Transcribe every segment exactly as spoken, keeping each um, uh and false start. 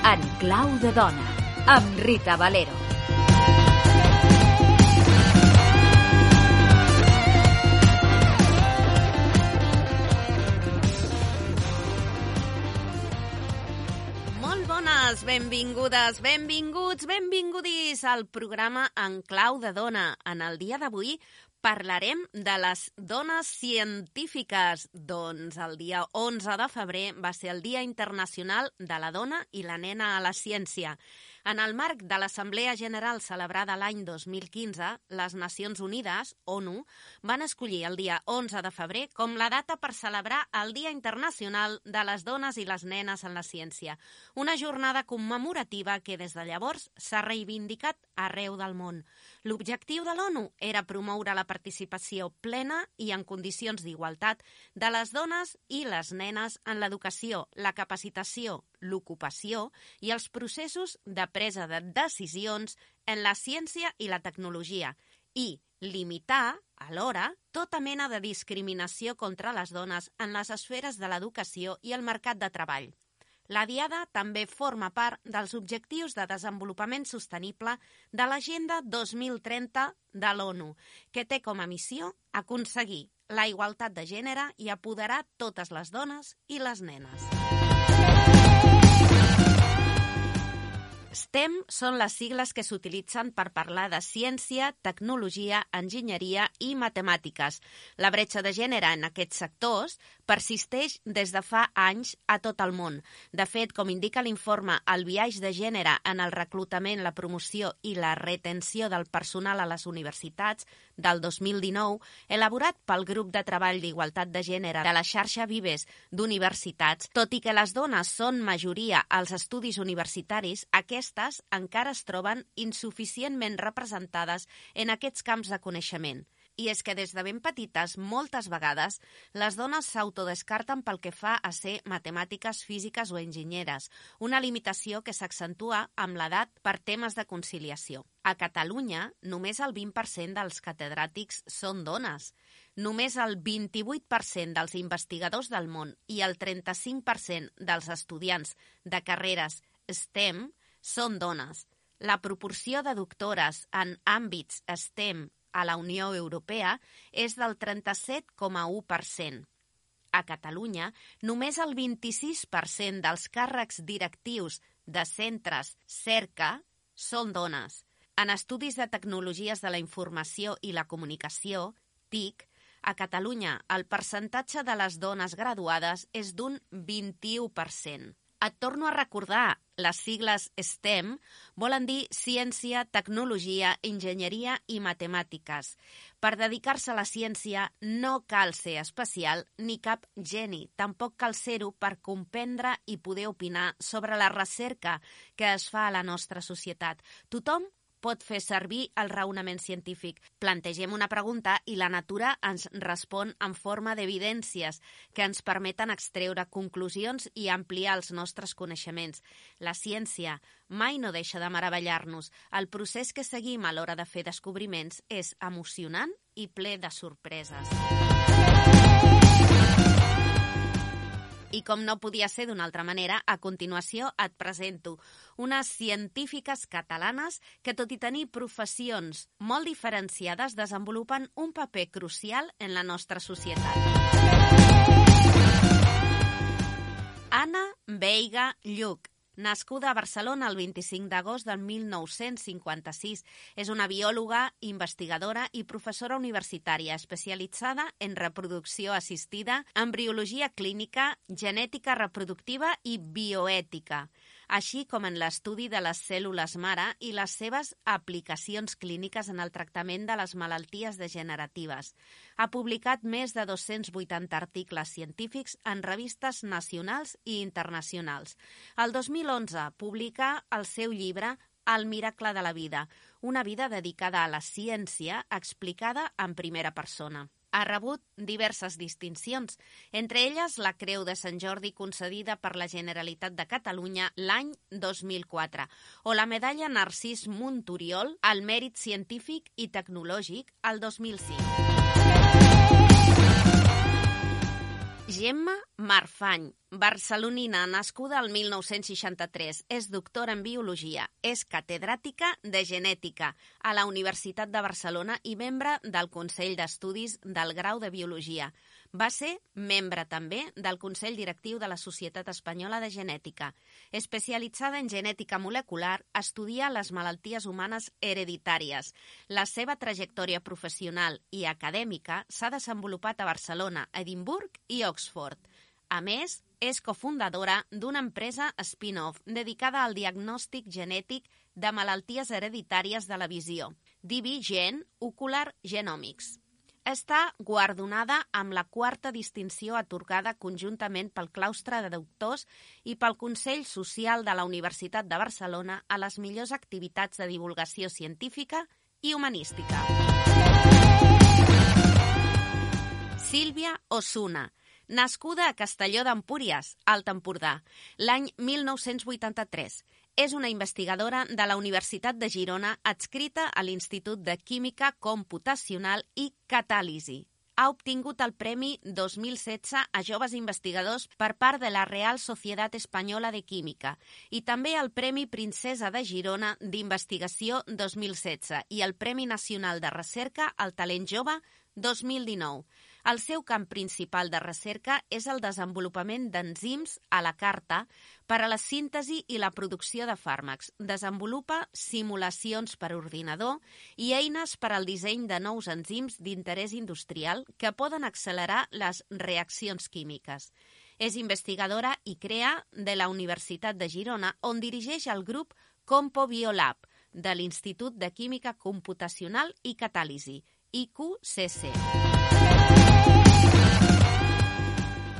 En clau de dona, amb Rita Valero. Molt bones, benvingudes, benvinguts, benvingudis al programa En clau de dona. En el dia d'avui parlarem de les dones científiques. Doncs el dia onze de febrer va ser el Dia Internacional de la Dona i la Nena a la Ciència. En el marc de l'Assemblea General celebrada l'any dos mil quinze, les Nacions Unides, ONU, van escollir el dia onze de febrer com la data per celebrar el Dia Internacional de les Dones i les Nenes en la Ciència, una jornada commemorativa que des de llavors s'ha reivindicat arreu del món. L'objectiu de l'ONU era promoure la participació plena i en condicions d'igualtat de les dones i les nenes en l'educació, la capacitació, l'ocupació i els processos de presa de decisions en la ciència i la tecnologia i limitar, alhora, tota mena de discriminació contra les dones en les esferes de l'educació i el mercat de treball. La Diada també forma part dels Objectius de Desenvolupament Sostenible de l'Agenda dos mil trenta de l'ONU, que té com a missió aconseguir la igualtat de gènere i apoderar totes les dones i les nenes. STEM són les sigles que s'utilitzen per parlar de ciència, tecnologia, enginyeria i matemàtiques. La bretxa de gènere en aquests sectors persisteix des de fa anys a tot el món. De fet, com indica l'informe El biaix de gènere en el reclutament, la promoció i la retenció del personal a les universitats del dos mil dinou, elaborat pel Grup de Treball d'Igualtat de Gènere de la xarxa Vives d'universitats, tot i que les dones són majoria als estudis universitaris, aquestes encara es troben insuficientment representades en aquests camps de coneixement. I és que des de ben petites, moltes vegades, les dones s'autodescarten pel que fa a ser matemàtiques, físiques o enginyeres, una limitació que s'accentua amb l'edat per temes de conciliació. A Catalunya, només el vint per cent dels catedràtics són dones. Només el vint-i-vuit per cent dels investigadors del món i el trenta-cinc per cent dels estudiants de carreres STEM són dones. La proporció de doctores en àmbits STEM a la Unió Europea és del trenta-set coma u per cent. A Catalunya, només el vint-i-sis per cent dels càrrecs directius de centres cerca són dones. En estudis de tecnologies de la informació i la comunicació, T I C, a Catalunya el percentatge de les dones graduades és d'un vint-i-u per cent. Et torno a recordar, les sigles STEM volen dir ciència, tecnologia, enginyeria i matemàtiques. Per dedicar-se a la ciència no cal ser especial ni cap geni. Tampoc cal ser-ho per comprendre i poder opinar sobre la recerca que es fa a la nostra societat. Tothom pot fer servir el raonament científic. Plantegem una pregunta i la natura ens respon en forma d'evidències que ens permeten extreure conclusions i ampliar els nostres coneixements. La ciència mai no deixa de meravellar-nos. El procés que seguim a l'hora de fer descobriments és emocionant i ple de sorpreses. I com no podia ser d'una altra manera, a continuació et presento unes científiques catalanes que, tot i tenir professions molt diferenciades, desenvolupen un paper crucial en la nostra societat. Anna Veiga Lluch, nascuda a Barcelona el vint-i-cinc d'agost del mil nou-cents cinquanta-sis, és una biòloga, investigadora i professora universitària especialitzada en reproducció assistida, embriologia clínica, genètica reproductiva i bioètica, així com en l'estudi de les cèl·lules mare i les seves aplicacions clíniques en el tractament de les malalties degeneratives. Ha publicat més de dos-cents vuitanta articles científics en revistes nacionals i internacionals. El dos mil onze publica el seu llibre El miracle de la vida, una vida dedicada a la ciència explicada en primera persona. Ha rebut diverses distincions, entre elles la Creu de Sant Jordi concedida per la Generalitat de Catalunya l'any dos mil quatre o la medalla Narcís Monturiol al mèrit científic i tecnològic el dos mil cinc. Gemma Marfany, barcelonina, nascuda el mil nou-cents seixanta-tres, és doctora en Biologia, és catedràtica de Genètica a la Universitat de Barcelona i membre del Consell d'Estudis del Grau de Biologia. Va ser membre també del Consell Directiu de la Societat Espanyola de Genètica. Especialitzada en genètica molecular, estudia les malalties humanes hereditàries. La seva trajectòria professional i acadèmica s'ha desenvolupat a Barcelona, Edimburg i Oxford. A més, és cofundadora d'una empresa spin-off dedicada al diagnòstic genètic de malalties hereditàries de la visió, D B Gen Ocular Genomics. Està guardonada amb la quarta distinció atorgada conjuntament pel claustre de doctors i pel Consell Social de la Universitat de Barcelona a les millors activitats de divulgació científica i humanística. Sílvia Osuna, nascuda a Castelló d'Empúries, Alt Empordà, l'any mil nou-cents vuitanta-tres. És una investigadora de la Universitat de Girona adscrita a l'Institut de Química Computacional i Catàlisi. Ha obtingut el Premi dos mil setze a Joves Investigadors per part de la Real Societat Espanyola de Química i també el Premi Princesa de Girona d'Investigació dos mil setze i el Premi Nacional de Recerca al Talent Jove dos mil dinou. El seu camp principal de recerca és el desenvolupament d'enzims a la carta per a la síntesi i la producció de fàrmacs. Desenvolupa simulacions per ordinador i eines per al disseny de nous enzims d'interès industrial que poden accelerar les reaccions químiques. És investigadora i crea de la Universitat de Girona, on dirigeix el grup Compo Biolab de l'Institut de Química Computacional i Catàlisi, I Q C C.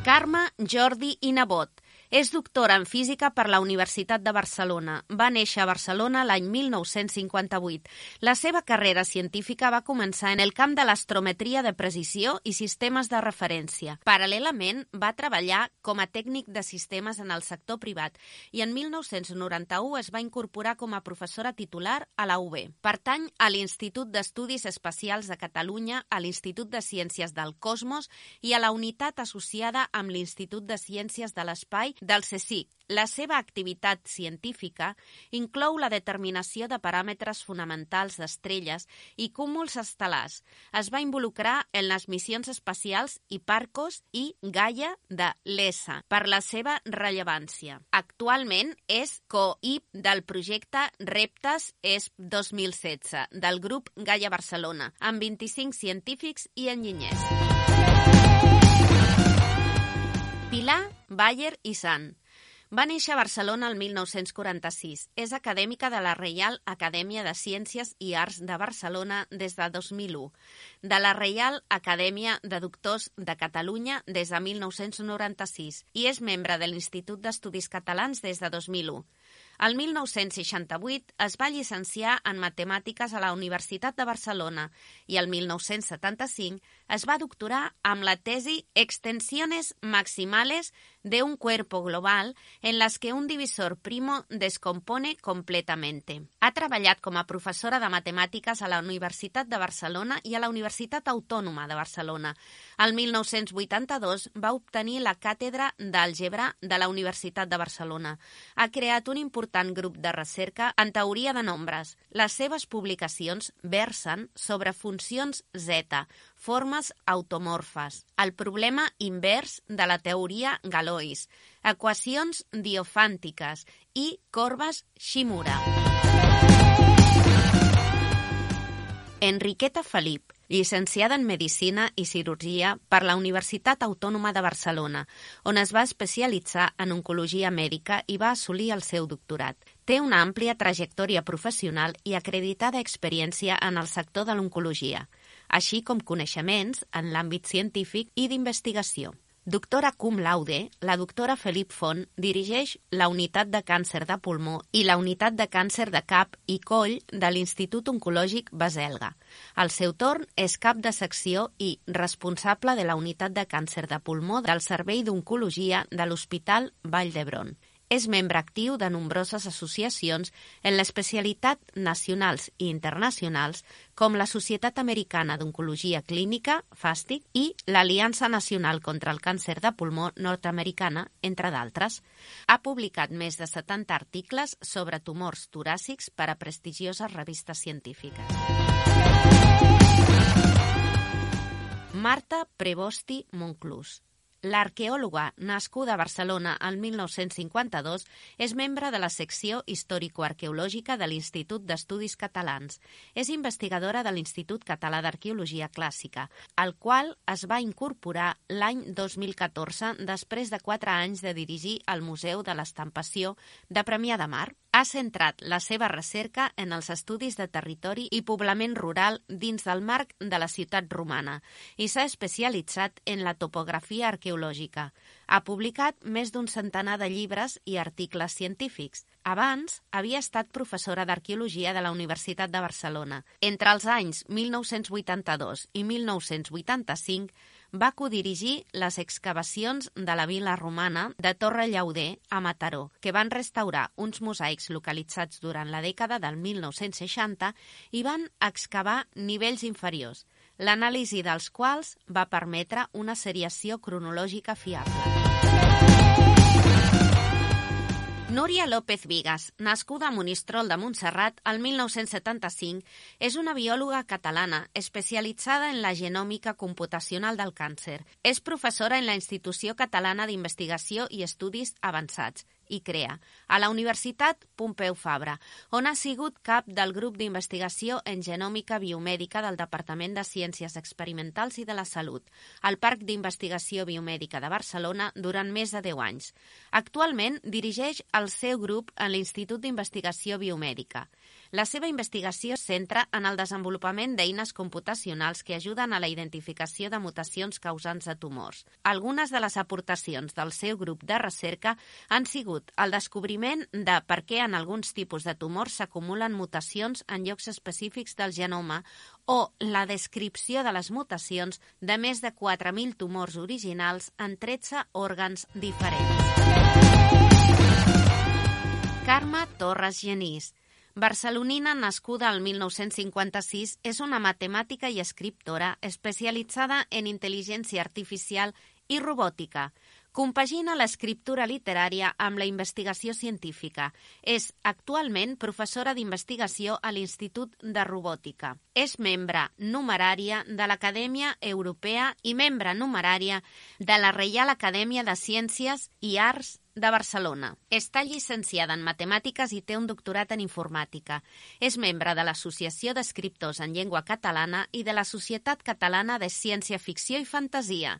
Carme Jordi i Nebot. És doctora en física per la Universitat de Barcelona. Va néixer a Barcelona l'any mil nou-cents cinquanta-vuit. La seva carrera científica va començar en el camp de l'astrometria de precisió i sistemes de referència. Paral·lelament, va treballar com a tècnic de sistemes en el sector privat i en mil nou-cents noranta-u es va incorporar com a professora titular a la U B. Pertany a l'Institut d'Estudis Espacials de Catalunya, a l'Institut de Ciències del Cosmos i a la unitat associada amb l'Institut de Ciències de l'Espai del CSIC. La seva activitat científica inclou la determinació de paràmetres fonamentals d'estrelles i cúmuls estel·lars. Es va involucrar en les missions espacials Hipparcos i Gaia de l'E S A per la seva rellevància. Actualment és co-I P del projecte Reptes E S P dos mil setze del grup Gaia Barcelona, amb vint-i-cinc científics i enginyers. Pilar Bayer i Sant. Va néixer a Barcelona el mil nou-cents quaranta-sis. És acadèmica de la Reial Acadèmia de Ciències i Arts de Barcelona des de dos mil u, de la Reial Acadèmia de Doctors de Catalunya des de mil nou-cents noranta-sis i és membre de l'Institut d'Estudis Catalans des de dos mil u. El mil nou-cents seixanta-vuit es va llicenciar en Matemàtiques a la Universitat de Barcelona i el mil nou-cents setanta-cinc es va doctorar amb la tesi Extensiones maximales de un cuerpo global en las que un divisor primo descompone completamente. Ha treballat com a professora de Matemàtiques a la Universitat de Barcelona i a la Universitat Autònoma de Barcelona. El mil nou-cents vuitanta-dos va obtenir la càtedra d'àlgebra de la Universitat de Barcelona. Ha creat un important grup de recerca en teoria de nombres. Les seves publicacions versen sobre funcions zeta, formes automorfes, el problema invers de la teoria Galois, equacions diofàntiques i corbes Shimura. Enriqueta Felip, llicenciada en Medicina i Cirurgia per la Universitat Autònoma de Barcelona, on es va especialitzar en oncologia mèdica i va assolir el seu doctorat. Té una àmplia trajectòria professional i acreditada experiència en el sector de l'oncologia, així com coneixements en l'àmbit científic i d'investigació. Doctora cum laude, la doctora Felip Font dirigeix la unitat de càncer de pulmó i la unitat de càncer de cap i coll de l'Institut Oncològic Baselga. Al seu torn, és cap de secció i responsable de la unitat de càncer de pulmó del Servei d'Oncologia de l'Hospital Vall d'Hebron. És membre actiu de nombroses associacions en l'especialitat nacionals i internacionals, com la Societat Americana d'Oncologia Clínica, FASTIC, i l'Aliança Nacional contra el Càncer de Pulmó nord-americana, entre d'altres. Ha publicat més de setanta articles sobre tumors toràcics per a prestigioses revistes científiques. Marta Prebosti Monclús. L'arqueòloga, nascuda a Barcelona el mil nou-cents cinquanta-dos, és membre de la secció històrico-arqueològica de l'Institut d'Estudis Catalans. És investigadora de l'Institut Català d'Arqueologia Clàssica, al qual es va incorporar l'any dos mil catorze després de quatre anys de dirigir el Museu de l'Estampació de Premià de Mar. Ha centrat la seva recerca en els estudis de territori i poblament rural dins del marc de la ciutat romana i s'ha especialitzat en la topografia arqueològica. Ha publicat més d'un centenar de llibres i articles científics. Abans, havia estat professora d'arqueologia de la Universitat de Barcelona. Entre els anys mil nou-cents vuitanta-dos i mil nou-cents vuitanta-cinc va codirigir les excavacions de la vila romana de Torre Llauder a Mataró, que van restaurar uns mosaics localitzats durant la dècada del mil nou-cents seixanta i van excavar nivells inferiors, l'anàlisi dels quals va permetre una seriació cronològica fiable. Núria López Vigas, nascuda a Monistrol de Montserrat el mil nou-cents setanta-cinc, és una biòloga catalana especialitzada en la genòmica computacional del càncer. És professora en la Institució Catalana d'Investigació i Estudis Avançats, I C R E A, a la Universitat Pompeu Fabra, on ha sigut cap del grup d'investigació en genòmica biomèdica del Departament de Ciències Experimentals i de la Salut, al Parc d'Investigació Biomèdica de Barcelona durant més de deu anys. Actualment dirigeix el seu grup en l'Institut d'Investigació Biomèdica. La seva investigació es centra en el desenvolupament d'eines computacionals que ajuden a la identificació de mutacions causants de tumors. Algunes de les aportacions del seu grup de recerca han sigut el descobriment de per què en alguns tipus de tumors s'acumulen mutacions en llocs específics del genoma o la descripció de les mutacions de més de quatre mil tumors originals en tretze òrgans diferents. Carme Torres Genís, barcelonina nascuda al mil nou-cents cinquanta-sis, és una matemàtica i escriptora especialitzada en intel·ligència artificial i robòtica. Compagina l'escriptura literària amb la investigació científica. És actualment professora d'investigació a l'Institut de Robòtica. És membre numerària de l'Acadèmia Europea i membre numerària de la Reial Acadèmia de Ciències i Arts de Barcelona. Està llicenciada en matemàtiques i té un doctorat en informàtica. És membre de l'Associació d'Escriptors en Llengua Catalana i de la Societat Catalana de Ciència-Ficció i Fantasia.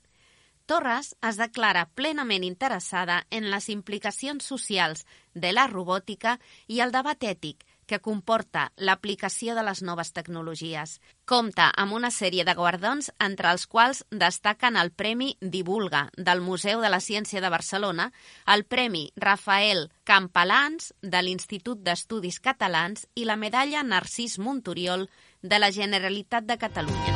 Torres es declara plenament interessada en les implicacions socials de la robòtica i el debat ètic que comporta l'aplicació de les noves tecnologies. Compta amb una sèrie de guardons, entre els quals destaquen el Premi Divulga del Museu de la Ciència de Barcelona, el Premi Rafael Campalans de l'Institut d'Estudis Catalans i la Medalla Narcís Montoriol de la Generalitat de Catalunya.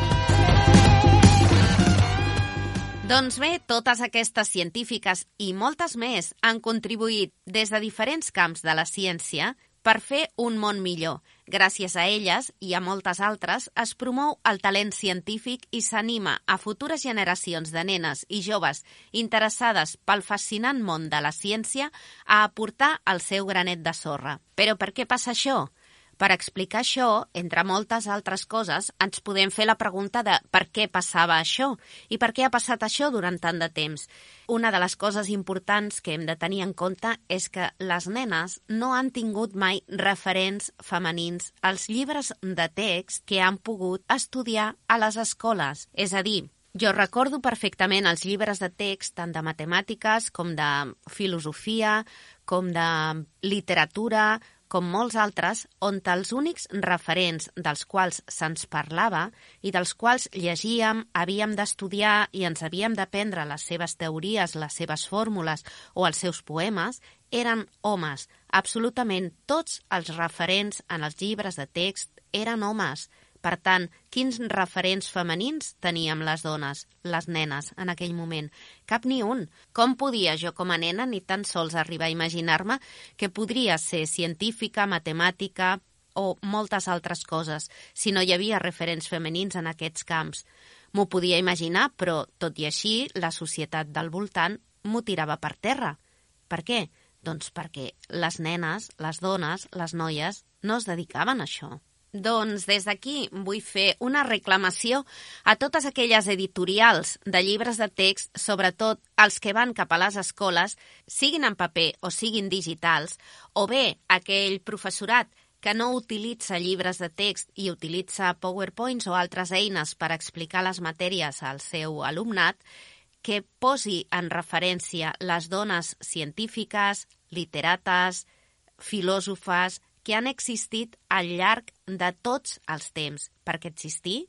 Doncs bé, totes aquestes científiques i moltes més han contribuït des de diferents camps de la ciència per fer un món millor. Gràcies a elles i a moltes altres es promou el talent científic i s'anima a futures generacions de nenes i joves interessades pel fascinant món de la ciència a aportar el seu granet de sorra. Però per què passa això? Per explicar això, entre moltes altres coses, ens podem fer la pregunta de per què passava això i per què ha passat això durant tant de temps. Una de les coses importants que hem de tenir en compte és que les nenes no han tingut mai referents femenins als llibres de text que han pogut estudiar a les escoles. És a dir, jo recordo perfectament els llibres de text tant de matemàtiques com de filosofia, com de literatura, com molts altres, on els únics referents dels quals se'ns parlava i dels quals llegíem, havíem d'estudiar i ens havíem d'aprendre les seves teories, les seves fórmules o els seus poemes, eren homes. Absolutament tots els referents en els llibres de text eren homes. Per tant, quins referents femenins teníem les dones, les nenes, en aquell moment? Cap ni un. Com podia jo com a nena ni tan sols arribar a imaginar-me que podria ser científica, matemàtica o moltes altres coses, si no hi havia referents femenins en aquests camps? M'ho podia imaginar, però, tot i així, la societat del voltant m'ho tirava per terra. Per què? Doncs perquè les nenes, les dones, les noies, no es dedicaven a això. Doncs des d'aquí vull fer una reclamació a totes aquelles editorials de llibres de text, sobretot els que van cap a les escoles, siguin en paper o siguin digitals, o bé aquell professorat que no utilitza llibres de text i utilitza PowerPoints o altres eines per explicar les matèries al seu alumnat, que posi en referència les dones científiques, literates, filòsofes, que han existit al llarg de tots els temps, perquè existir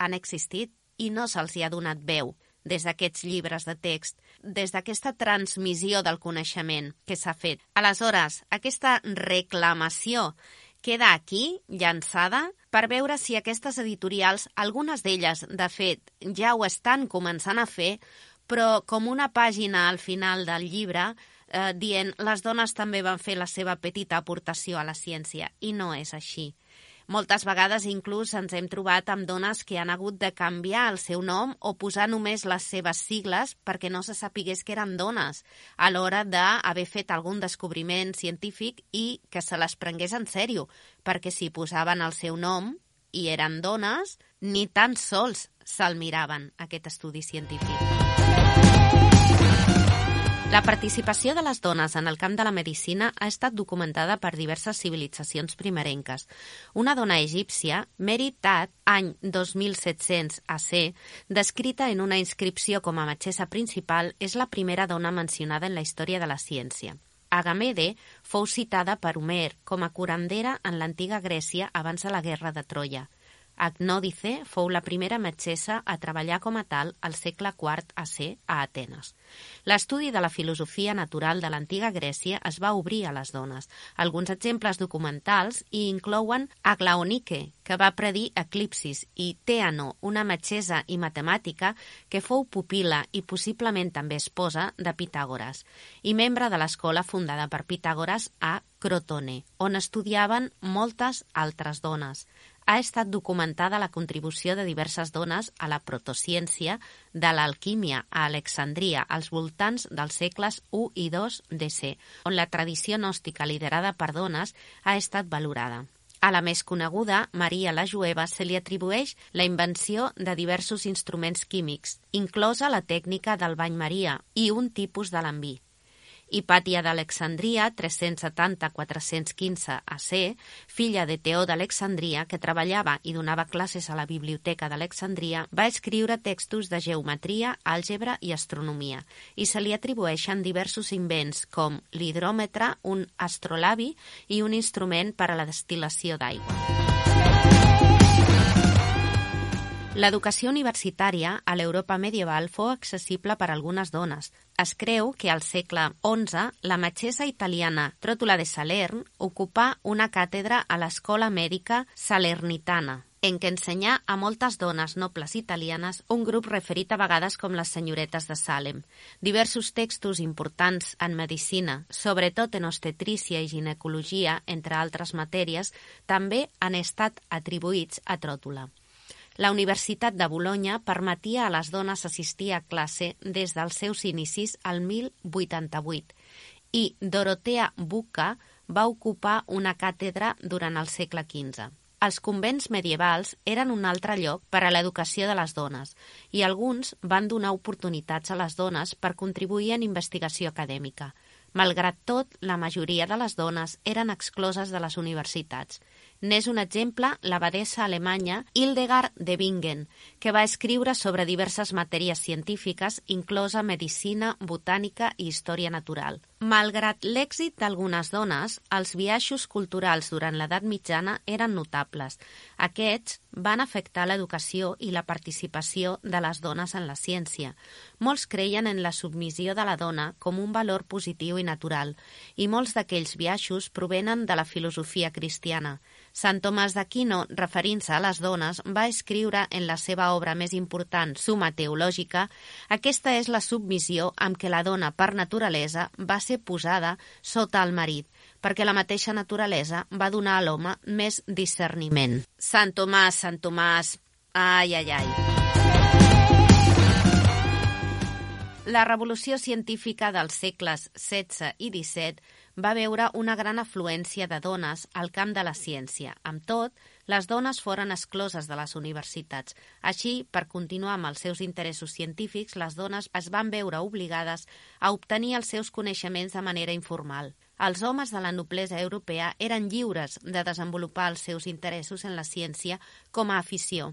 han existit i no se'ls hi ha donat veu des d'aquests llibres de text, des d'aquesta transmissió del coneixement que s'ha fet. Aleshores, aquesta reclamació queda aquí, llançada, per veure si aquestes editorials, algunes d'elles, de fet, ja ho estan començant a fer, però com una pàgina al final del llibre eh, dient les dones també van fer la seva petita aportació a la ciència, i no és així. Moltes vegades inclús ens hem trobat amb dones que han hagut de canviar el seu nom o posar només les seves sigles perquè no se sapigués que eren dones a l'hora d'haver fet algun descobriment científic i que se les prengués en sèrio, perquè si posaven el seu nom i eren dones, ni tan sols se'l miraven, aquest estudi científic. La participació de les dones en el camp de la medicina ha estat documentada per diverses civilitzacions primerenques. Una dona egípcia, Mary Tad, any dos mil set-cents A C, descrita en una inscripció com a metgessa principal, és la primera dona mencionada en la història de la ciència. Agamede fou citada per Homer com a curandera en l'antiga Grècia abans de la guerra de Troia. Agnòdice fou la primera metgessa a treballar com a tal al segle quart A C a Atenes. L'estudi de la filosofia natural de l'antiga Grècia es va obrir a les dones. Alguns exemples documentals hi inclouen Aglaonike, que va predir eclipsis, i Teano, una metgessa i matemàtica que fou pupil·la i possiblement també esposa de Pitàgores, i membre de l'escola fundada per Pitàgores a Crotone, on estudiaven moltes altres dones. Ha estat documentada la contribució de diverses dones a la protociència de l'alquímia a Alexandria als voltants dels segles u i dos D C, on la tradició gnòstica liderada per dones ha estat valorada. A la més coneguda, Maria la Jueva, se li atribueix la invenció de diversos instruments químics, inclosa la tècnica del bany Maria i un tipus de lambí. Hipàtia d'Alexandria, tres-cents setanta a quatre-cents quinze A C, filla de Teó d'Alexandria, que treballava i donava classes a la Biblioteca d'Alexandria, va escriure textos de geometria, àlgebra i astronomia, i se li atribueixen diversos invents com l'hidròmetre, un astrolabi i un instrument per a la destil·lació d'aigua. L'educació universitària a l'Europa medieval fou accessible per a algunes dones. Es creu que al segle onze la metgessa italiana Tròtula de Salern ocupà una càtedra a l'Escola Mèdica Salernitana, en què ensenyà a moltes dones nobles italianes, un grup referit a vegades com les senyoretes de Salem. Diversos textos importants en medicina, sobretot en obstetrícia i ginecologia, entre altres matèries, també han estat atribuïts a Tròtula. La Universitat de Bolonya permetia a les dones assistir a classe des dels seus inicis al mil vuitanta-vuit i Dorotea Bucca va ocupar una càtedra durant el segle quinze. Els convents medievals eren un altre lloc per a l'educació de les dones i alguns van donar oportunitats a les dones per contribuir en investigació acadèmica. Malgrat tot, la majoria de les dones eren excloses de les universitats. N'és un exemple l'abadessa alemanya Hildegard de Bingen, que va escriure sobre diverses matèries científiques, inclosa medicina, botànica i història natural. Malgrat l'èxit d'algunes dones, els biaixos culturals durant l'edat mitjana eren notables. Aquests van afectar l'educació i la participació de les dones en la ciència. Molts creien en la submissió de la dona com un valor positiu i natural, i molts d'aquells biaixos provenen de la filosofia cristiana. Sant Tomàs d'Aquino, referint-se a les dones, va escriure en la seva obra més important, Summa Teològica, aquesta és la submissió amb què la dona, per naturalesa, va ser posada sota el marit, perquè la mateixa naturalesa va donar a l'home més discerniment. Sant Tomàs, Sant Tomàs, ai, ai, ai. La revolució científica dels segles setze i disset va veure una gran afluència de dones al camp de la ciència. Amb tot, les dones foren excloses de les universitats. Així, per continuar amb els seus interessos científics, les dones es van veure obligades a obtenir els seus coneixements de manera informal. Els homes de la noblesa europea eren lliures de desenvolupar els seus interessos en la ciència com a afició,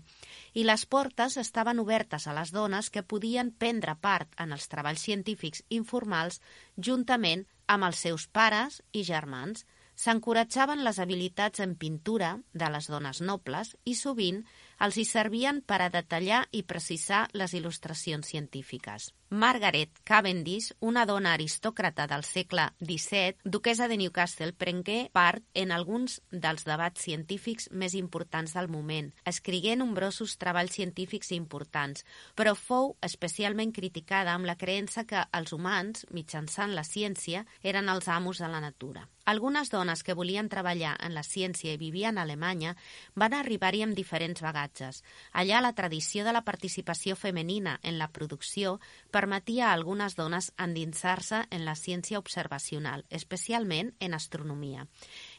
i les portes estaven obertes a les dones que podien prendre part en els treballs científics informals juntament amb els seus pares i germans. S'encoratjaven les habilitats en pintura de les dones nobles i sovint els hi servien per a detallar i precisar les il·lustracions científiques. Margaret Cavendish, una dona aristòcrata del segle disset, duquessa de Newcastle, prengué part en alguns dels debats científics més importants del moment. Escrigué nombrosos treballs científics importants, però fou especialment criticada amb la creença que els humans, mitjançant la ciència, eren els amos de la natura. Algunes dones que volien treballar en la ciència i vivien a Alemanya van arribar-hi amb diferents bagatges. Allà la tradició de la participació femenina en la producció permetia a algunes dones endinsar-se en la ciència observacional, especialment en astronomia.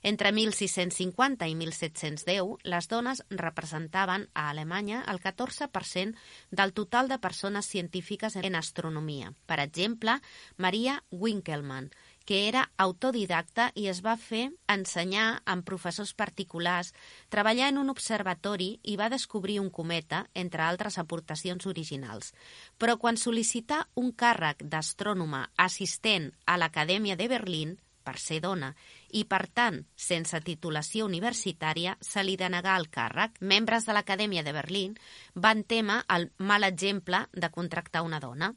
Entre mil sis-cents cinquanta i mil set-cents deu, les dones representaven a Alemanya el catorze per cent del total de persones científiques en astronomia. Per exemple, Maria Winkelmann, que era autodidacta i es va fer ensenyar amb professors particulars, treballar en un observatori i va descobrir un cometa, entre altres aportacions originals. Però quan sol·licità un càrrec d'astrònoma assistent a l'Acadèmia de Berlín, per ser dona, i per tant, sense titulació universitària, se li denegà el càrrec. Membres de l'Acadèmia de Berlín van témer el mal exemple de contractar una dona.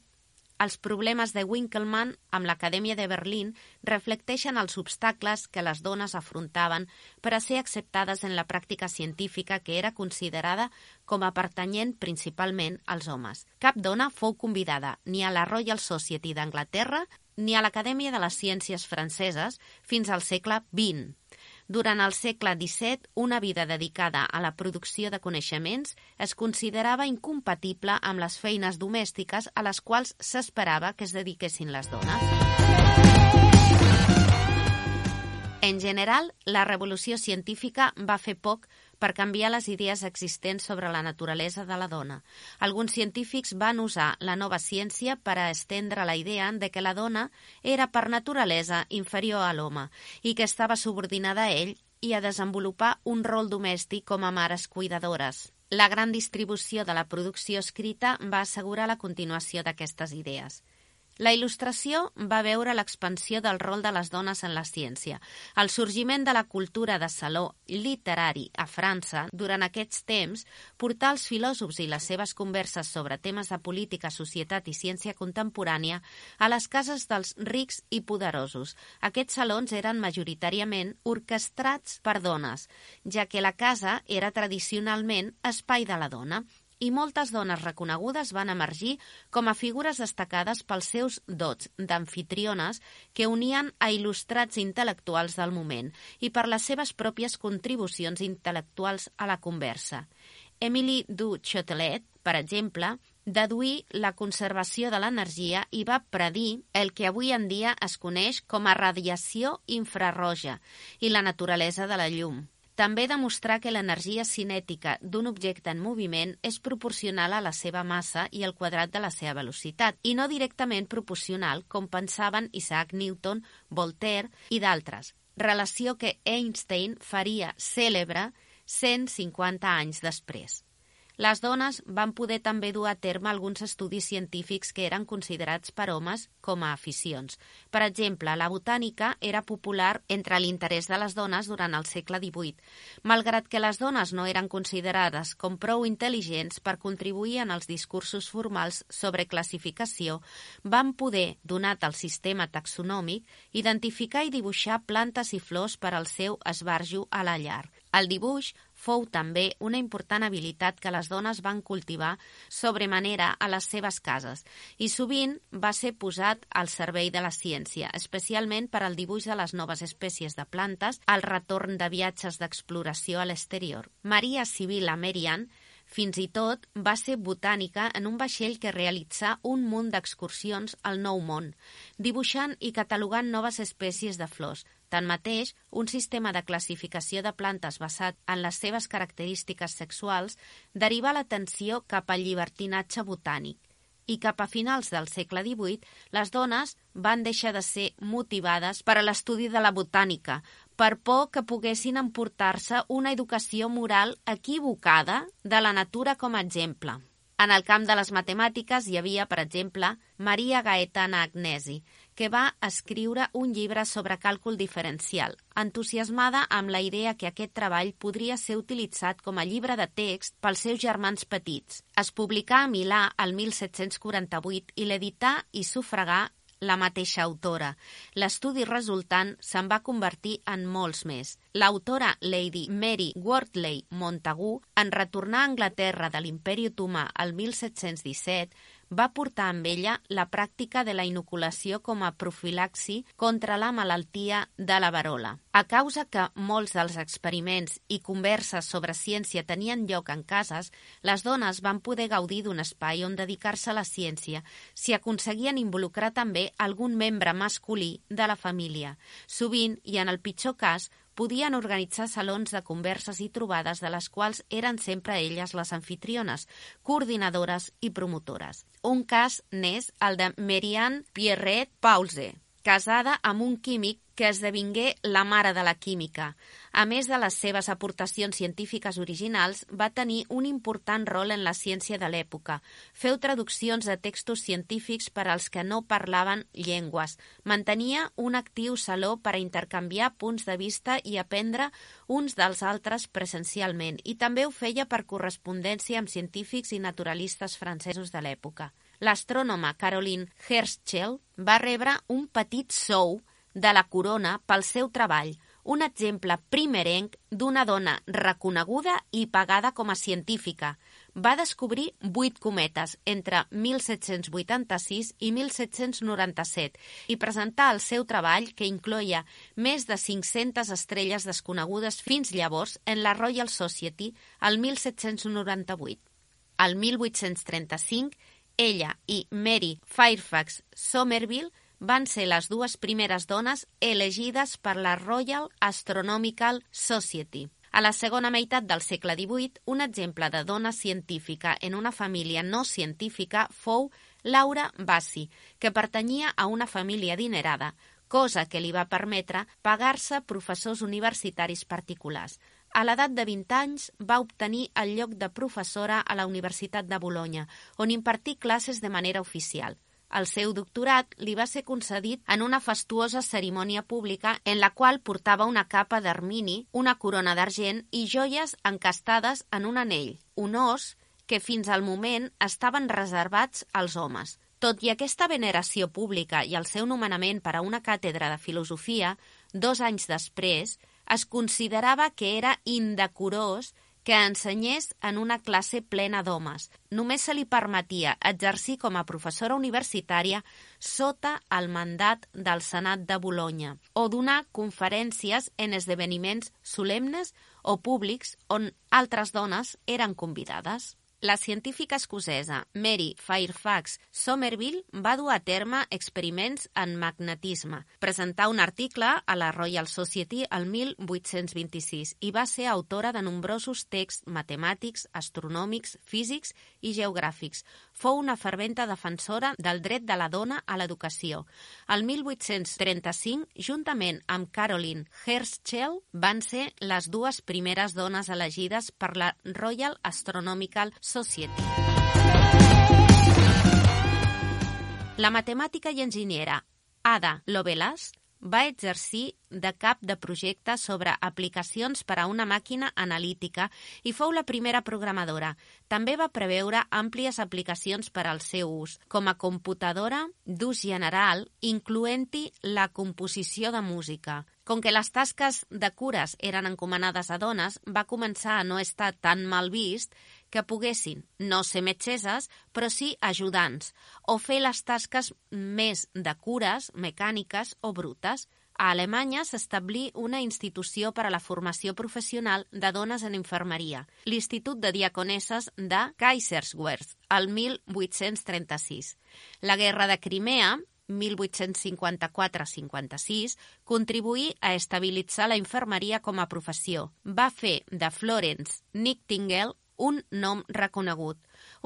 Els problemes de Winkelmann amb l'Acadèmia de Berlín reflecteixen els obstacles que les dones afrontaven per a ser acceptades en la pràctica científica que era considerada com a pertanyent principalment als homes. Cap dona fou convidada ni a la Royal Society d'Anglaterra ni a l'Acadèmia de les Ciències Franceses fins al segle vint. Durant el segle disset, una vida dedicada a la producció de coneixements es considerava incompatible amb les feines domèstiques a les quals s'esperava que es dediquessin les dones. En general, la revolució científica va fer poc per canviar les idees existents sobre la naturalesa de la dona. Alguns científics van usar la nova ciència per a estendre la idea de que la dona era per naturalesa inferior a l'home i que estava subordinada a ell i a desenvolupar un rol domèstic com a mares cuidadores. La gran distribució de la producció escrita va assegurar la continuació d'aquestes idees. La il·lustració va veure l'expansió del rol de les dones en la ciència. El sorgiment de la cultura de saló literari a França durant aquests temps portà els filòsofs i les seves converses sobre temes de política, societat i ciència contemporània a les cases dels rics i poderosos. Aquests salons eren majoritàriament orquestrats per dones, ja que la casa era tradicionalment espai de la dona, i moltes dones reconegudes van emergir com a figures destacades pels seus dots d'amfitriones que unien a il·lustrats intel·lectuals del moment i per les seves pròpies contribucions intel·lectuals a la conversa. Émilie du Châtelet, per exemple, deduí la conservació de l'energia i va predir el que avui en dia es coneix com a radiació infraroja i la naturalesa de la llum. També demostrar que l'energia cinètica d'un objecte en moviment és proporcional a la seva massa i al quadrat de la seva velocitat, i no directament proporcional, com pensaven Isaac Newton, Voltaire i d'altres, relació que Einstein faria cèlebre cent cinquanta anys després. les dones van poder també dur a terme alguns estudis científics que eren considerats per homes com a aficions. Per exemple, la botànica era popular entre l'interès de les dones durant el segle divuit. Malgrat que les dones no eren considerades com prou intel·ligents per contribuir en els discursos formals sobre classificació, van poder, donat el sistema taxonòmic, identificar i dibuixar plantes i flors per al seu esbarjo a la llar. El dibuix fou també una important habilitat que les dones van cultivar sobremanera a les seves cases i sovint va ser posat al servei de la ciència, especialment per al dibuix de les noves espècies de plantes al retorn de viatges d'exploració a l'exterior. Maria Sibylla Merian fins i tot va ser botànica en un vaixell que realitzà un munt d'excursions al Nou Món, dibuixant i catalogant noves espècies de flors. Tanmateix, un sistema de classificació de plantes basat en les seves característiques sexuals derivà l'atenció cap al llibertinatge botànic. I cap a finals del segle divuit, les dones van deixar de ser motivades per a l'estudi de la botànica, per por que poguessin emportar-se una educació moral equivocada de la natura com a exemple. En el camp de les matemàtiques hi havia, per exemple, Maria Gaetana Agnesi, que va escriure un llibre sobre càlcul diferencial, entusiasmada amb la idea que aquest treball podria ser utilitzat com a llibre de text pels seus germans petits. Es publicà a Milà el mil set-cents quaranta-vuit i l'edità i sufragà la mateixa autora. L'estudi resultant se'n va convertir en molts més. L'autora Lady Mary Wortley Montagu, en retornar a Anglaterra de l'Imperi Otomà el mil set-cents disset, va portar amb ella la pràctica de la inoculació com a profilaxi contra la malaltia de la verola. A causa que molts dels experiments i converses sobre ciència tenien lloc en cases, les dones van poder gaudir d'un espai on dedicar-se a la ciència si aconseguien involucrar també algun membre masculí de la família. Sovint, i en el pitjor cas, podien organitzar salons de converses i trobades de les quals eren sempre elles les anfitriones, coordinadores i promotores. Un cas n'és el de Marianne Pierrette Pause, casada amb un químic que esdevingué la mare de la química. A més de les seves aportacions científiques originals, va tenir un important rol en la ciència de l'època. Feu traduccions de textos científics per als que no parlaven llengües. Mantenia un actiu saló per a intercanviar punts de vista i aprendre uns dels altres presencialment, i també ho feia per correspondència amb científics i naturalistes francesos de l'època. L'astrònoma Caroline Herschel va rebre un petit sou de la corona pel seu treball, un exemple primerenc d'una dona reconeguda i pagada com a científica. Va descobrir vuit cometes entre mil set-cents vuitanta-sis i mil set-cents noranta-set i presentar el seu treball, que incloïa més de cinc-centes estrelles desconegudes fins llavors, en la Royal Society el mil set-cents noranta-vuit. El mil vuit-cents trenta-cinc, ella i Mary Fairfax Somerville van ser les dues primeres dones elegides per la Royal Astronomical Society. A la segona meitat del segle divuit, un exemple de dona científica en una família no científica fou Laura Bassi, que pertanyia a una família adinerada, cosa que li va permetre pagar-se professors universitaris particulars. A l'edat de vint anys va obtenir el lloc de professora a la Universitat de Bolonya, on impartí classes de manera oficial. El seu doctorat li va ser concedit en una fastuosa cerimònia pública en la qual portava una capa d'ermini, una corona d'argent i joies encastades en un anell, honors que fins al moment estaven reservats als homes. Tot i aquesta veneració pública i el seu nomenament per a una càtedra de filosofia, dos anys després, es considerava que era indecorós que ensenyés en una classe plena d'homes. Només se li permetia exercir com a professora universitària sota el mandat del Senat de Bolonya o donar conferències en esdeveniments solemnes o públics on altres dones eren convidades. La científica escocesa Mary Fairfax Somerville va dur a terme experiments en magnetisme. Presentà un article a la Royal Society el mil vuit-cents vint-i-sis i va ser autora de nombrosos texts matemàtics, astronòmics, físics i geogràfics. Fou una ferventa defensora del dret de la dona a l'educació. El mil vuit-cents trenta-cinc, juntament amb Caroline Herschel, van ser les dues primeres dones elegides per la Royal Astronomical Society. La matemàtica i enginyera Ada Lovelace va exercir de cap de projecte sobre aplicacions per a una màquina analítica i fou la primera programadora. També va preveure àmplies aplicacions per al seu ús, com a computadora d'ús general, incloent-hi la composició de música. Com que les tasques de cures eren encomanades a dones, va començar a no estar tan mal vist que poguessin no ser metgesses, però sí ajudants, o fer les tasques més de cures, mecàniques o brutes. A Alemanya s'establí una institució per a la formació professional de dones en infermeria, l'Institut de Diaconesses de Kaiserswerth, el mil vuit-cents trenta-sis. La Guerra de Crimea, mil vuit-cents cinquanta-quatre cinquanta-sis, contribuí a estabilitzar la infermeria com a professió. Va fer de Florence Nightingale un nom reconegut.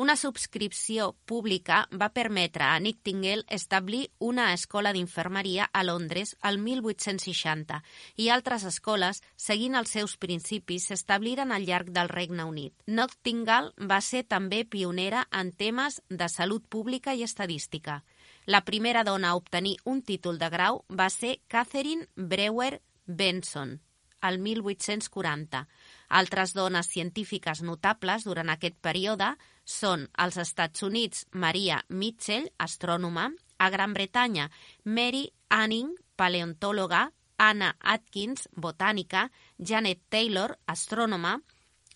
Una subscripció pública va permetre a Nightingale establir una escola d'infermeria a Londres el mil vuit-cents seixanta i altres escoles, seguint els seus principis, s'establiren al llarg del Regne Unit. Nightingale va ser també pionera en temes de salut pública i estadística. La primera dona a obtenir un títol de grau va ser Catherine Brewer Benson, el mil vuit-cents quaranta. Altres dones científiques notables durant aquest període són als Estats Units Maria Mitchell, astrònoma, a Gran Bretanya Mary Anning, paleontòloga, Anna Atkins, botànica, Janet Taylor, astrònoma,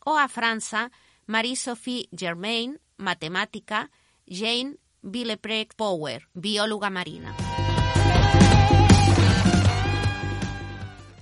o a França Marie-Sophie Germain, matemàtica, Jane Villepreux Power, biòloga marina.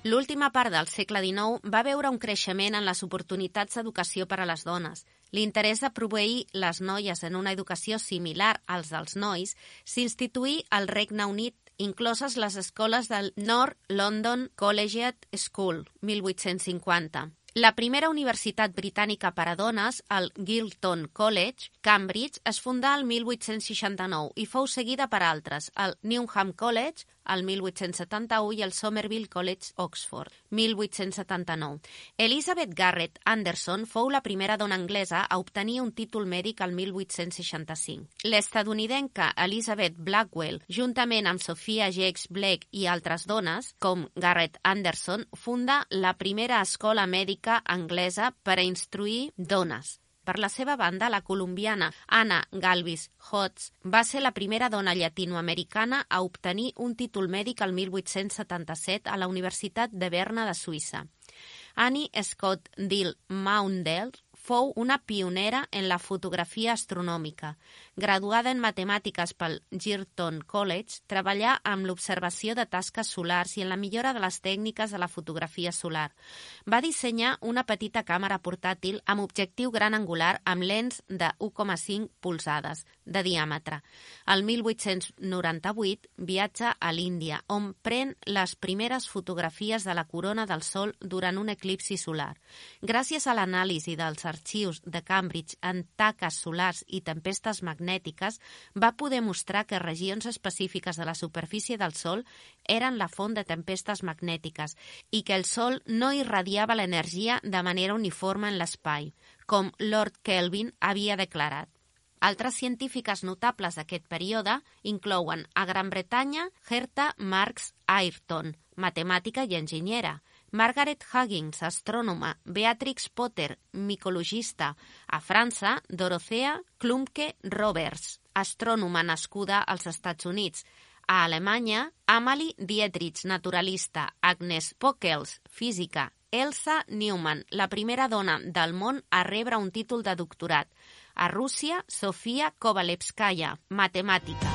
L'última part del segle dinou va veure un creixement en les oportunitats d'educació per a les dones. L'interès de proveir les noies en una educació similar als dels nois s'instituí al Regne Unit, incloses les escoles del North London Collegiate School, mil vuit-cents cinquanta. La primera universitat britànica per a dones, el Girton College, Cambridge, es fundà el mil vuit-cents seixanta-nou i fou seguida per altres, el Newnham College, el mil vuit-cents setanta-u, i el Somerville College, Oxford, mil vuit-cents setanta-nou. Elizabeth Garrett Anderson fou la primera dona anglesa a obtenir un títol mèdic el mil vuit-cents seixanta-cinc. L'estadounidenca Elizabeth Blackwell, juntament amb Sophia Jakes Blake i altres dones, com Garrett Anderson, funda la primera escola mèdica anglesa per a instruir dones. Per la seva banda, la colombiana Anna Galvis Hodges va ser la primera dona llatinoamericana a obtenir un títol mèdic el mil vuit-cents setanta-set a la Universitat de Berna de Suïssa. Annie Scott Dill Maundell fou una pionera en la fotografia astronòmica. Graduada en matemàtiques pel Girton College, treballà amb l'observació de tasques solars i en la millora de les tècniques de la fotografia solar. Va dissenyar una petita càmera portàtil amb objectiu gran angular amb lents de u coma cinc polzades de diàmetre. El mil vuit-cents noranta-vuit viatja a l'Índia, on pren les primeres fotografies de la corona del Sol durant un eclipsi solar. Gràcies a l'anàlisi dels arxius de Cambridge en taques solars i tempestes magnètiques, va poder mostrar que regions específiques de la superfície del Sol eren la font de tempestes magnètiques i que el Sol no irradiava l'energia de manera uniforme en l'espai, com Lord Kelvin havia declarat. Altres científiques notables d'aquest període inclouen a Gran Bretanya Herta Marks Ayrton, matemàtica i enginyera, Margaret Huggins, astrònoma, Beatrix Potter, micologista. A França, Dorothea Klumpke Roberts, astrònoma nascuda als Estats Units. A Alemanya, Amalie Dietrich, naturalista, Agnes Pockels, física, Elsa Neumann, la primera dona del món a rebre un títol de doctorat. A Rússia, Sofia Kovalevskaya, matemàtica.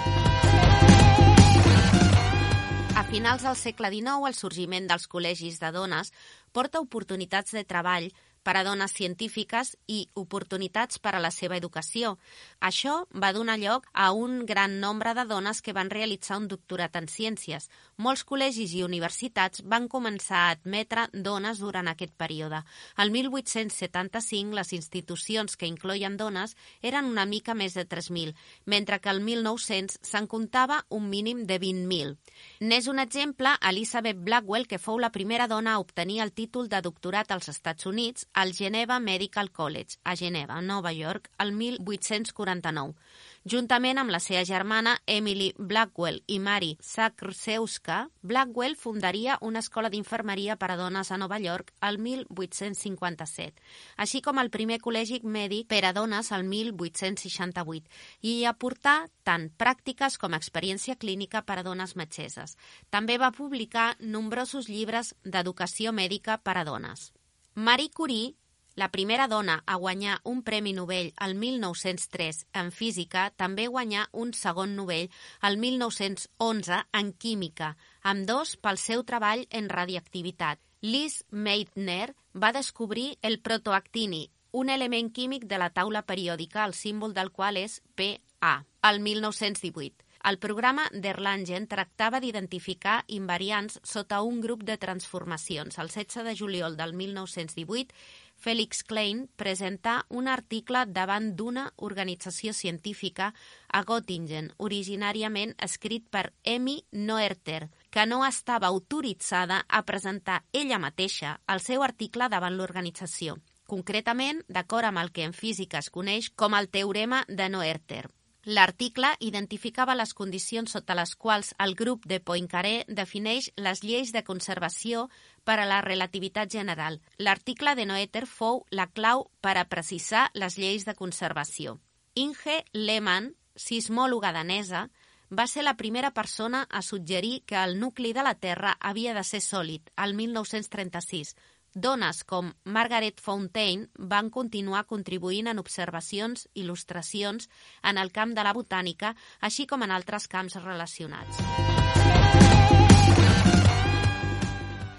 A finals del segle dinou, el sorgiment dels col·legis de dones porta oportunitats de treball per a dones científiques i oportunitats per a la seva educació. Això va donar lloc a un gran nombre de dones que van realitzar un doctorat en ciències. Molts col·legis i universitats van començar a admetre dones durant aquest període. El mil vuit-cents setanta-cinc, les institucions que incloïen dones eren una mica més de tres mil, mentre que el mil nou-cents se'n comptava un mínim de vint mil. N'és un exemple Elizabeth Blackwell, que fou la primera dona a obtenir el títol de doctorat als Estats Units al Geneva Medical College, a Geneva, Nova York, el mil vuit-cents quaranta-nou. Juntament amb la seva germana Emily Blackwell i Mary Zakrzewska, Blackwell fundaria una escola d'infermeria per a dones a Nova York el mil vuit-cents cinquanta-set, així com el primer col·legi mèdic per a dones el mil vuit-cents seixanta-vuit, i aportar tant pràctiques com experiència clínica per a dones metgesses. També va publicar nombrosos llibres d'educació mèdica per a dones. Marie Curie, la primera dona a guanyar un Premi Nobel el mil nou-cents tres en física, també guanyà un segon Nobel el mil nou-cents onze en química, ambdós pel seu treball en radioactivitat. Liz Meitner va descobrir el protoactini, un element químic de la taula periòdica, el símbol del qual és P A, el mil nou-cents divuit. El programa d'Erlangen tractava d'identificar invariants sota un grup de transformacions. El setze de juliol del mil nou-cents divuit, Felix Klein presentà un article davant d'una organització científica a Göttingen, originàriament escrit per Emmy Noether, que no estava autoritzada a presentar ella mateixa el seu article davant l'organització, concretament d'acord amb el que en física es coneix com el teorema de Noether. L'article identificava les condicions sota les quals el grup de Poincaré defineix les lleis de conservació per a la relativitat general. L'article de Noether fou la clau per a precisar les lleis de conservació. Inge Lehmann, sismòloga danesa, va ser la primera persona a suggerir que el nucli de la Terra havia de ser sòlid, el mil nou-cents trenta-sis. Dones com Margaret Fontaine van continuar contribuint en observacions, il·lustracions en el camp de la botànica, així com en altres camps relacionats.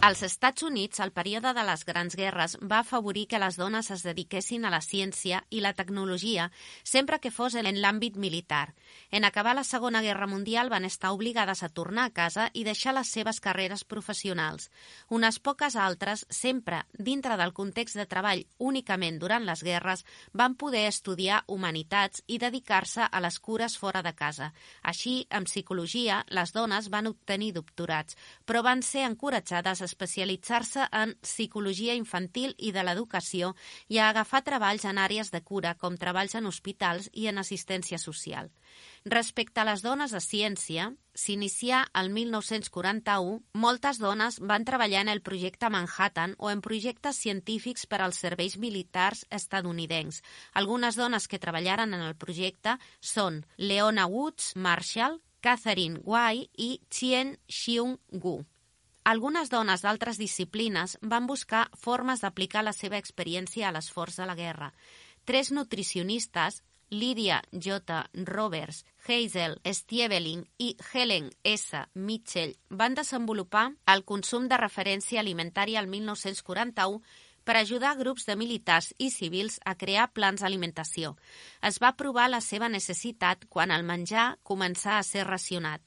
Als Estats Units, el període de les Grans Guerres va afavorir que les dones es dediquessin a la ciència i la tecnologia, sempre que fos en l'àmbit militar. En acabar la Segona Guerra Mundial van estar obligades a tornar a casa i deixar les seves carreres professionals. Unes poques altres, sempre dintre del context de treball únicament durant les guerres, van poder estudiar humanitats i dedicar-se a les cures fora de casa. Així, en psicologia, les dones van obtenir doctorats, però van ser encoratjades a especialitzar-se en psicologia infantil i de l'educació i a agafar treballs en àrees de cura, com treballs en hospitals i en assistència social. Respecte a les dones a ciència, s'inicià el mil nou-cents quaranta-u, moltes dones van treballar en el projecte Manhattan o en projectes científics per als serveis militars estatunidencs. Algunes dones que treballaren en el projecte són Leona Woods Marshall, Catherine Why i Chien Xiong Gu. Algunes dones d'altres disciplines van buscar formes d'aplicar la seva experiència a l'esforç de la guerra. Tres nutricionistes, Lydia J. Roberts, Hazel Stieveling i Helen S. Mitchell, van desenvolupar el consum de referència alimentària al mil nou-cents quaranta-u per ajudar grups de militars i civils a crear plans d'alimentació. Es va provar la seva necessitat quan el menjar començà a ser racionat.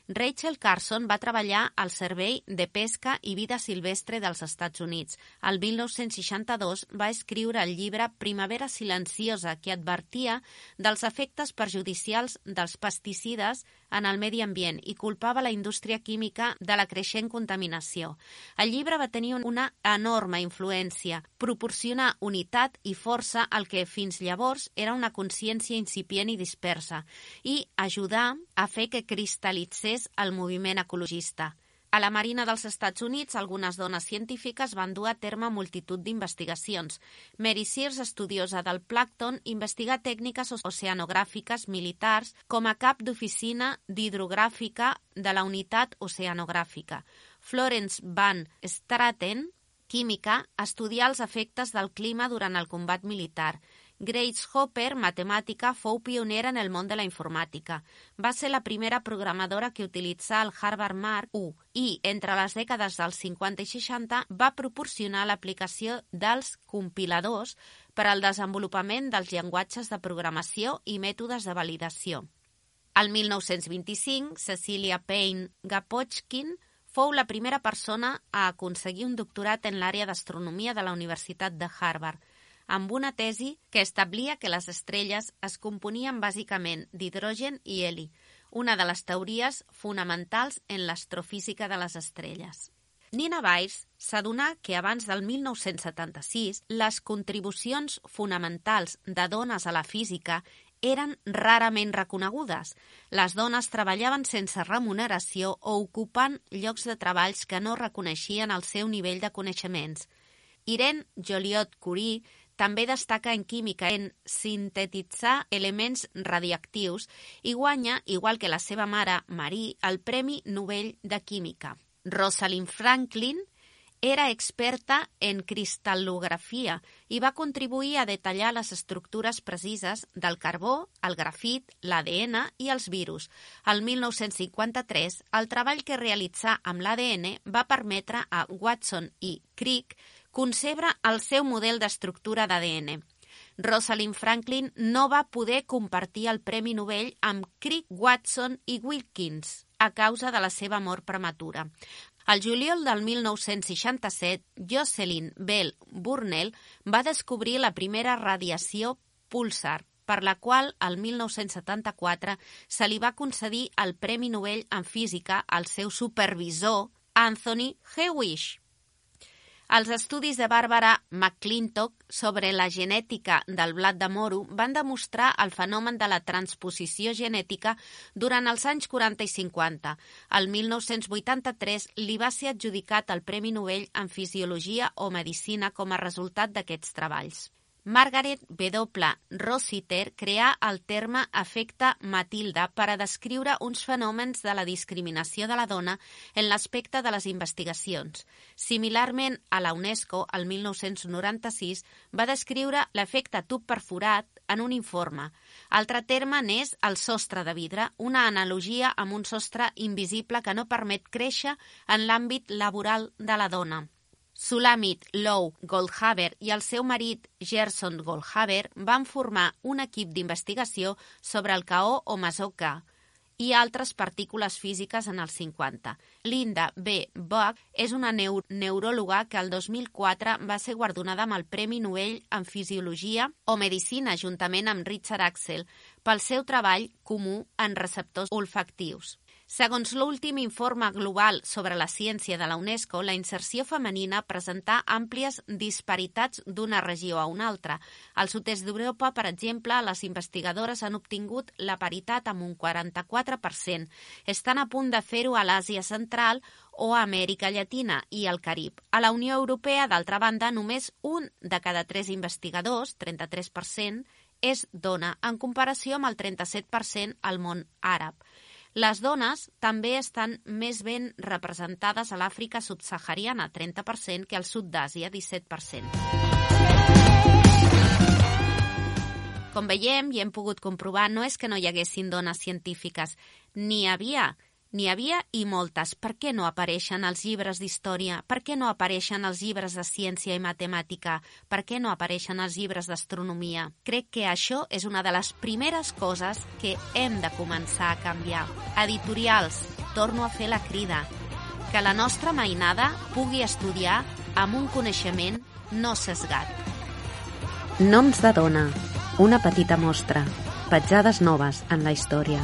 Rachel Carson va treballar al Servei de Pesca i Vida Silvestre dels Estats Units. El mil nou-cents seixanta-dos va escriure el llibre Primavera silenciosa, que advertia dels efectes perjudicials dels pesticides en el medi ambient i culpava la indústria química de la creixent contaminació. El llibre va tenir una enorme influència, proporcionar unitat i força al que fins llavors era una consciència incipient i dispersa i ajudar a fer que cristal·litzés el moviment ecologista. A la Marina dels Estats Units, algunes dones científiques van dur a terme multitud d'investigacions. Mary Sears, estudiosa del plàncton, investiga tècniques oceanogràfiques militars com a cap d'oficina d'hidrogràfica de la unitat oceanogràfica. Florence Van Straten, química, estudià els efectes del clima durant el combat militar. Grace Hopper, matemàtica, fou pionera en el món de la informàtica. Va ser la primera programadora que utilitzà el Harvard Mark u i, entre les dècades dels cinquanta i seixanta, va proporcionar l'aplicació dels compiladors per al desenvolupament dels llenguatges de programació i mètodes de validació. El mil nou-cents vint-i-cinc, Cecilia Payne-Gaposchkin fou la primera persona a aconseguir un doctorat en l'àrea d'astronomia de la Universitat de Harvard, amb una tesi que establia que les estrelles es componien bàsicament d'hidrogen i heli, una de les teories fonamentals en l'astrofísica de les estrelles. Nina Weiss s'adonà que abans del mil nou-cents setanta-sis les contribucions fonamentals de dones a la física eren rarament reconegudes. Les dones treballaven sense remuneració o ocupant llocs de treballs que no reconeixien el seu nivell de coneixements. Irene Joliot-Curie també destaca en química en sintetitzar elements radioactius i guanya, igual que la seva mare Marie, el Premi Nobel de Química. Rosalind Franklin era experta en cristal·lografia i va contribuir a detallar les estructures precises del carbó, el grafit, l'A D N i els virus. El mil nou-cents cinquanta-tres, el treball que realitzà amb l'A D N va permetre a Watson i Crick concebre el seu model d'estructura d'A D N. Rosalind Franklin no va poder compartir el Premi Nobel amb Crick, Watson i Wilkins a causa de la seva mort prematura. Al juliol del mil nou-cents seixanta-set, Jocelyn Bell Burnell va descobrir la primera radiació púlsar, per la qual, el mil nou-cents setanta-quatre, se li va concedir el Premi Nobel en Física al seu supervisor, Anthony Hewish. Els estudis de Barbara McClintock sobre la genètica del blat de moro van demostrar el fenomen de la transposició genètica durant els anys quaranta i cinquanta. El mil nou-cents vuitanta-tres li va ser adjudicat el Premi Nobel en Fisiologia o Medicina com a resultat d'aquests treballs. Margaret W. Rossiter creà el terme efecte Matilda per a descriure uns fenòmens de la discriminació de la dona en l'aspecte de les investigacions. Similarment a la UNESCO, el mil nou-cents noranta-sis, va descriure l'efecte tub perforat en un informe. Altre terme n'és el sostre de vidre, una analogia amb un sostre invisible que no permet créixer en l'àmbit laboral de la dona. Sulamit Low Goldhaber i el seu marit Gerson Goldhaber van formar un equip d'investigació sobre el K O o mesó-K i altres partícules físiques en els cinquanta. Linda B. Buck és una neur neuròloga que el dos mil quatre va ser guardonada amb el Premi Nobel en Fisiologia o Medicina juntament amb Richard Axel pel seu treball comú en receptors olfactius. Segons l'últim informe global sobre la ciència de la UNESCO, la inserció femenina presenta àmplies disparitats d'una regió a una altra. Al sud-est d'Europa, per exemple, les investigadores han obtingut la paritat amb un quaranta-quatre per cent. Estan a punt de fer-ho a l'Àsia Central o a Amèrica Llatina i al Carib. A la Unió Europea, d'altra banda, només un de cada tres investigadors, trenta-tres per cent, és dona, en comparació amb el trenta-set per cent al món àrab. Les dones també estan més ben representades a l'Àfrica subsahariana, trenta per cent, que al sud d'Àsia, disset per cent. Com veiem i hem pogut comprovar, no és que no hi haguessin dones científiques. N'hi havia, n'hi havia i moltes. Per què no apareixen als llibres d'història? Per què no apareixen als llibres de ciència i matemàtica? Per què no apareixen als llibres d'astronomia? Crec que això és una de les primeres coses que hem de començar a canviar. Editorials, torno a fer la crida. Que la nostra mainada pugui estudiar amb un coneixement no sesgat. Noms de dona. Una petita mostra. Petjades noves en la història.